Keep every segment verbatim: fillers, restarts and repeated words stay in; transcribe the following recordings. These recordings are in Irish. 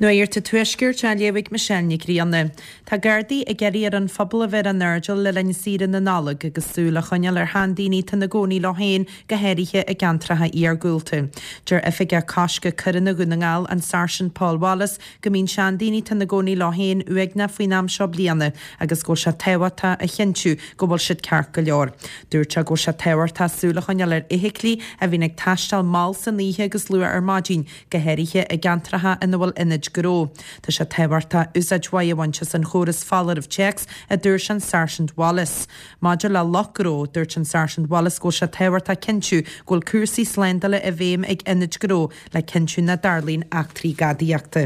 Nuacht an Tuaiscirt á léamh ag Michelle Nic Grianna. Tá Gardaí ag iarraidh ar an phobal a bheith ar an airdeall le linn saoire na Nollag agus súil a choinneáil ar sheandaoine atá ina gcónaí leo féin go háirithe i gceantracha iargúlta. Deir Oifigeach Coiscthe Coireanna Dhún na nGall, an Sáirsint Paul Wallace, go mbíonn seandaoine atá ina gcónaí leo féin uaigneach faoin am seo bliana agus go bhfuil sé tábhachtach a chinntiú go bhfuil siad ceart go leor. Dúirt sé go bhfuil sé tábhachtach súil a choinneáil ar fheithiclí a bhíonn ag taisteal mall san oíche agus luath ar maidin, go háirithe i gceantracha ina bhfuil ionaid gnó. Tá sé tábhachtach úsáid mhaith a bhaint as an chóras foláireamh téacs a dúirt an Sáirsint Wallace. Maidir le lucht gnó, dúirt an Sáirsint Wallace go bhfuil sé tábhachtach cinntiú go bhfuil cúrsaí slándála i bhfeidhm ag ionaid gnó le cinntiú nach dtarlaíonn eachtraí gadaíochta.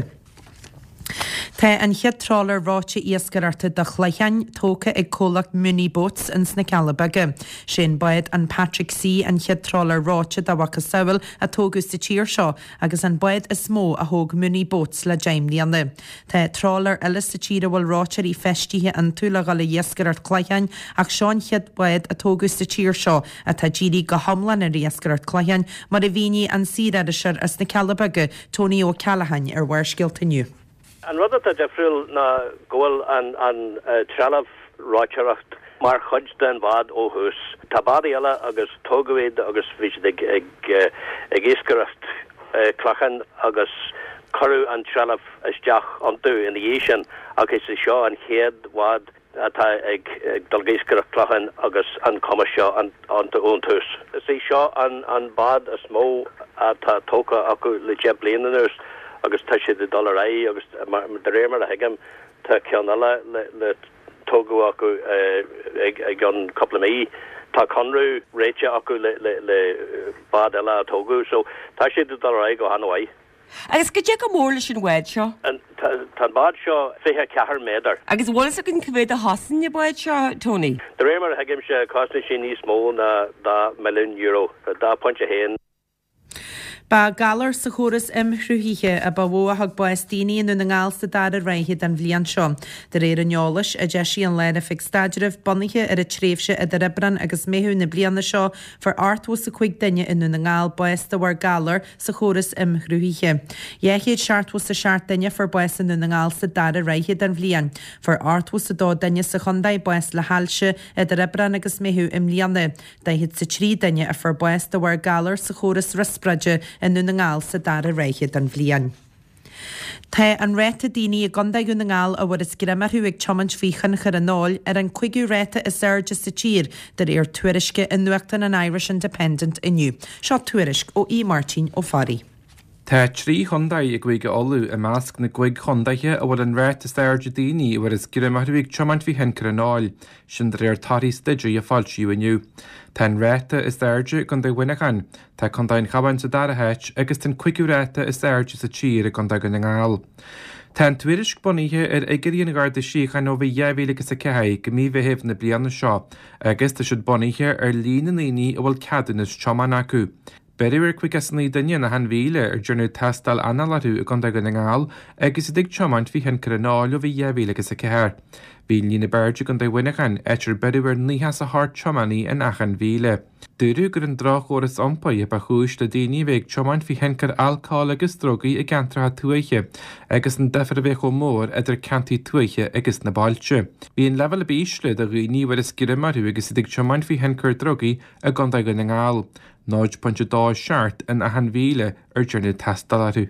Tá an chéad trálaer reoite iascaireachta do chlocháin tógtha ag comhlacht Mooney Boats ins na Cealla Beaga. Sé an bád an Patrick C an chéad trálaer reoite dá mhacasamhail a tógadh sa tír seo agus an bád is mó a thóg Mooney Boats le deich mbliana. Tá trálaeir eile sa tír a bhfuil reoiteoirí feistithe iontu le dhul ag iascaireacht cloicheáin ach seo an chéad bád a tógadh sa tír seo atá dírithe go hiomlán ar iascaireacht cloicheáin mar a mhínigh an saoririseoir as na Cealla Beaga, Tony Ó Ceallacháin ar Bharrscéalta inniu. An rud atá difriúil ná go bhfuil an an trealamh reoiteoireacht mar chuid den bhád ó thús. Tá bádaí eile agus tógadh iad agus bhí siad ag ag ag iascaireacht clochán agus cuireadh an trealamh isteach iontu ina dhiaidh sin ach is é seo an chéad bhád atá ag dul ag iascaireacht clochán agus an cumas seo iontu ón tús. Is é seo an an bád is mó atá tógtha acu le deich bliana anuas agus tá siad ag dul ar aghaidh agus de réir mar a thuigim tá ceann eile le le tógadh acu ag ag an cúpla mí. Tá conradh réitithe acu le le le bád eile a tógadh, so tá siad ag dul ar aghaidh go han-mhaith. Agus cad é chomh mór leis an bhád seo? Tá an bád seo fiche ceathair méadar. Agus bhfuil fhios againn cá mhéad a chosain an bád seo, Tony? De réir mar a thuigimse cosnaíonn sé níos mó ná dhá milliún euro, dhá phointe haon. Ba galar sa chóras imshruthaithe a ba mhó a thug bás daoine i nDún na nGall sa dara ráithe den bhliain seo. De réir an eolais a d'eisigh an Lár-Oifig Staidrimh bunaithe ar an tréimhse idir Aibreán agus Meitheamh na bliana seo, fuair ochtó is a cúig duine i nDún na nGall bás de bharr galar sa chóras imshruthaithe. Dhá chéad seachtó is a seacht duine fuair bás i nDún na nGall sa dara ráithe den bhliain. Fuair ochtó is a dó duine sa chontae bás le hailse idir Aibreán agus Meitheamh i mbliana. Daichead is a trí duine a fuair bás de bharr galar sa chóras riospráide i nDún na nGall sa dara ráithe den bhliain. Tá an ráta daoine i gContae Dhún na nGall a bhfuarthas greim orthu ag tiomáint faoi thionchar an óil ar an cúigiú ráta is airde sa tír de réir tuairisce i nuachtán an Irish Independent inniu. Seo tuairisc ó Aodh Máirtín Ó Fearraigh. Tá trí chontae i gCúige Uladh i measc na gcúig chontaetha a bhfuil an ráta is airde daoine a bhfuarthas greim orthu ag tiomáint faoi thionchar an óil, sin de réir torthaí staidéir a foilsíodh inniu. Tá an ráta is airde i gContae Mhuineacháin, tá Contae an Chabháin sa dara háit agus tá an cúigiú ráta is airde sa tír i gContae Dhún na nGall. Tá an tuairisc bunaithe ar fhigiúirí an Gharda Síochána ó mhí dhá mhíle agus a ceathair go mí Mheithimh na bliana seo agus tá siad bunaithe ar líon na ndaoine a bhfuil ceadúnas tiomána acu. Beireadh ar caoga is a naoi duine in achan mhíle ar dearnadh tástáil anála orthu i gContae Dhún na nGall agus iad ag tiomáint faoi thionchar an óil ó bhí dhá mhíle agus a ceathair. Bhí an líon ab airde i gContae Mhuineacháin, áit ar beireadh ar nócha is a hocht tiománaí in achan mhíle. Dúradh gur an droch-chóras iompair a ba chúis le daoine a bheith ag tiomáint faoi thionchar alcóil agus drugaí i gceantracha tuaithe agus an difear a bheith chomh mór idir ceantair tuaithe agus na bailte. Bhí an leibhéal ab ísle de dhaoine a bhfuarthas greim orthu agus iad ag tiomáint faoi thionchar drugaí i gContae Dhún na nGall. náid pointe dó seacht in achan mhíle ar dearnadh tástáil orthu.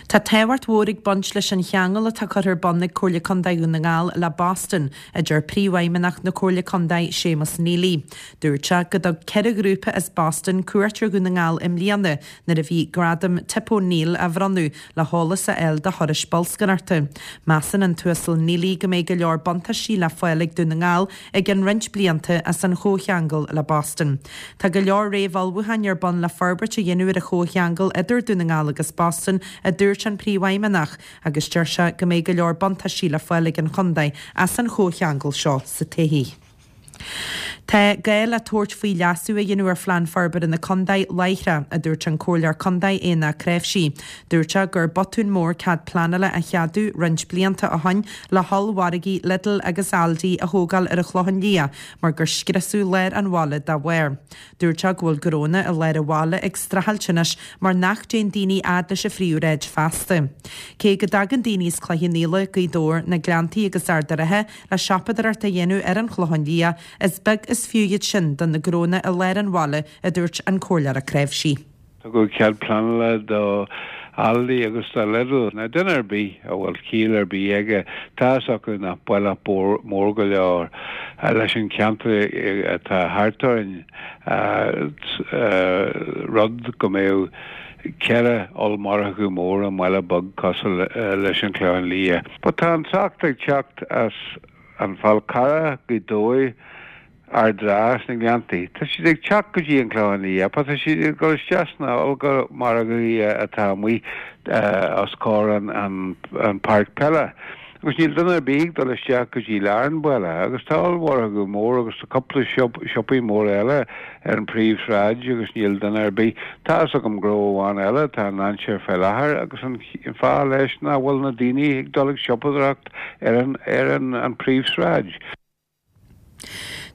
Tá tábhacht mhór ag baint leis an cheangal atá curtha ar bun ag Comhairle Contae Dhún na nGall le Boston, a deir Príomhfheidhmeannach na Comhairle Contae Séamus Neely. Dúirt sé go dtug ceithre ghrúpa as Boston cuairt ar Dhún na nGall i mbliana nuair a bhí gradam Tip O'Neill á bhronnadh le heolas a fháil do thurais bolscaireachta. Measann an tUasal Neely go mbeidh go leor buntáistí le fáil ag Dún na Ngall i gceann roinnt blianta as an chomhcheangal le Boston. Tá go leor réamhullmhúcháin ar bun le forbairt a dhéanamh ar an chomhcheangal idir Dún na nGall agus Boston a dúirt an Príomhfheidhmeannach, agus deir sé go mbeidh go leor buntáistí le fáil ag an chontae as an chomhcheangal seo sa todhchaí. Tá gá le tabhairt faoi leasú a dhéanamh ar Phlean Forbartha na Contae láithreach, a dúirt an Comhairleoir Contae Éanna Créimhsí. Dúirt sé gur botún mór cead pleanála a cheadú roinnt blianta ó shin le hollmhargaí Lidl agus Aldi a thógáil ar an Chlochán Liath mar gur scriosadh lár an bhaile dá bharr. Dúirt sé go bhfuil gnónna i lár an bhaile ag streachailt anois mar nach dtéann daoine fhad leis an phríomhshráid feasta. Cé go dtagann daoine as Cloich Cheann Fhaola, Gaoth Dobhair, na Gleanntaí agus Ard an Rátha le siopadóireacht a dhéanamh ar an Chlochán Liath, is beag is fiú iad sin do na gnónna i lár an bhaile, a dúirt an Comhairleoir Ó Cnáimhsí. Tugadh cead pleanála do Aldi agus do Lidl. Now duine ar bith a bhfuil ciall ar bith aige, tá fhios acu nach baile mór go leor leis an cheantar atá thart orainn, rud go mbeadh ceithre ollmhargadh mór i mbaile beag cosúil leis an Chlochán Liath. But tá an trácht ag teacht as an Fál Carrach, Gaoth Dobhair, Ard an Rátha, sna Gleanntaí. Tá siad ag teacht go dtí an Clochán Liath, but tá siad ag dul isteach sna ollmhargaí atá amuigh os comhair an an páirc peile. Agus níl duine ar bith ag dul isteach go dtí lár an bhaile, agus tá ollmhargadh mór agus tá cúpla siopaí móra eile ar an príomhshráid agus níl duine ar bith. Tá fhios agam gnó amháin eile atá i ndainséar fé láthair agus an fáth leis nach bhfuil na daoine ag dul ag siopadóireacht ar an ar an an príomhshráid.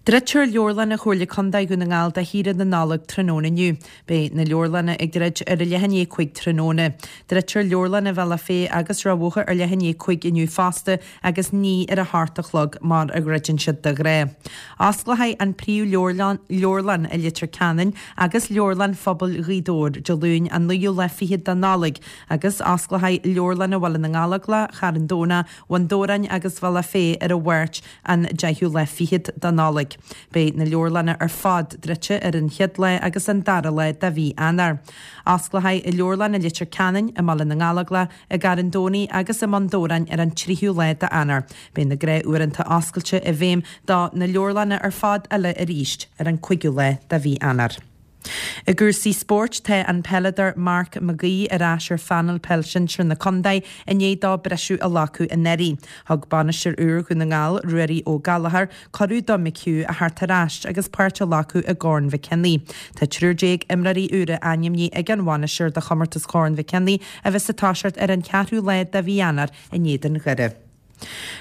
Druidtear leabharlanna Chomhairle Contae Dhún na nGall do shaoire na Nollag tráthnóna inniu. Beidh na leabharlanna ag druid ar a leath i ndiaidh a cúig tráthnóna. Druidtear leabharlanna Bhealach Féich agus Ráth Bhoth ar leath i ndiaidh a cúig inniu fosta agus ní ar a hocht a chlog mar a dhruideann siad de ghnáth. Osclóidh an príomh-leabharlann leabharlann i Leitir Ceanainn agus Leabharlann Phobail Ghaoth Dobhair Dé Luain an naoú lá fichead de Nollaig agus osclóidh leabharlanna Bhaile na nGallóglach, Charn Domhnach, Bhun Dobhráin agus Bhealach Féich ar an Mháirt an deichiú lá fichead de Nollaig. Beidh na leabharlanna ar fad druidte ar an chéad lá agus an dara lá de mhí Eanáir. Osclóidh leabharlann i Leitir Ceanainn, i mBaile na nGallóglach, i gCarn Domhnaigh agus i mBun Dobhráin ar an tríú lá d'Eanáir. Beidh na gnáthuaireanta oscailte i bhfeidhm do na leabharlanna ar fad eile arís ar an cúigiú lá de mhí Eanáir. I gcúrsaí spóirt, tá an peileadóir Mark McGee ar ais ar phainéal peil sinsir na contae i ndiaidh dó briseadh a ghlacadh anuraidh. Thug bainisteoir úr Dhún na nGall, Ruairí Ó Gallchóir, cuireadh do McHugh a theacht ar ais agus páirt a ghlacadh i gCorn Mhic Cionnaith. Tá triúr déag imreoirí úra ainmnithe ag an bhainisteoir do chomórtas Chorn Mhic Cionnaith a bheas ag toiseacht ar an cheathrú lá de mhí Eanáir in Éadan Dhoire.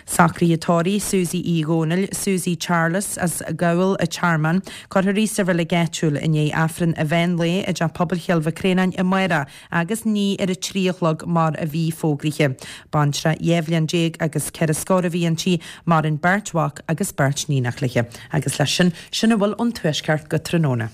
Socruithe tórraimh Susie Uí Dhónaill, Susie Charles as Gabhal a' Tearmann, cuirfear í sa reilig áitiúil i ndiaidh Aifreann an mheán lae i dTeach Pobail Chill Mhic Réanáin amárach agus ní ar a trí a chlog mar a bhí fógraithe. Baintreach dhá bhliain déag agus ceithre scór a bhí inti, maireann beirt mhac agus beirt níonach léi. Agus leis sin, sin a bhfuil ón Tuaisceart go tráthnóna.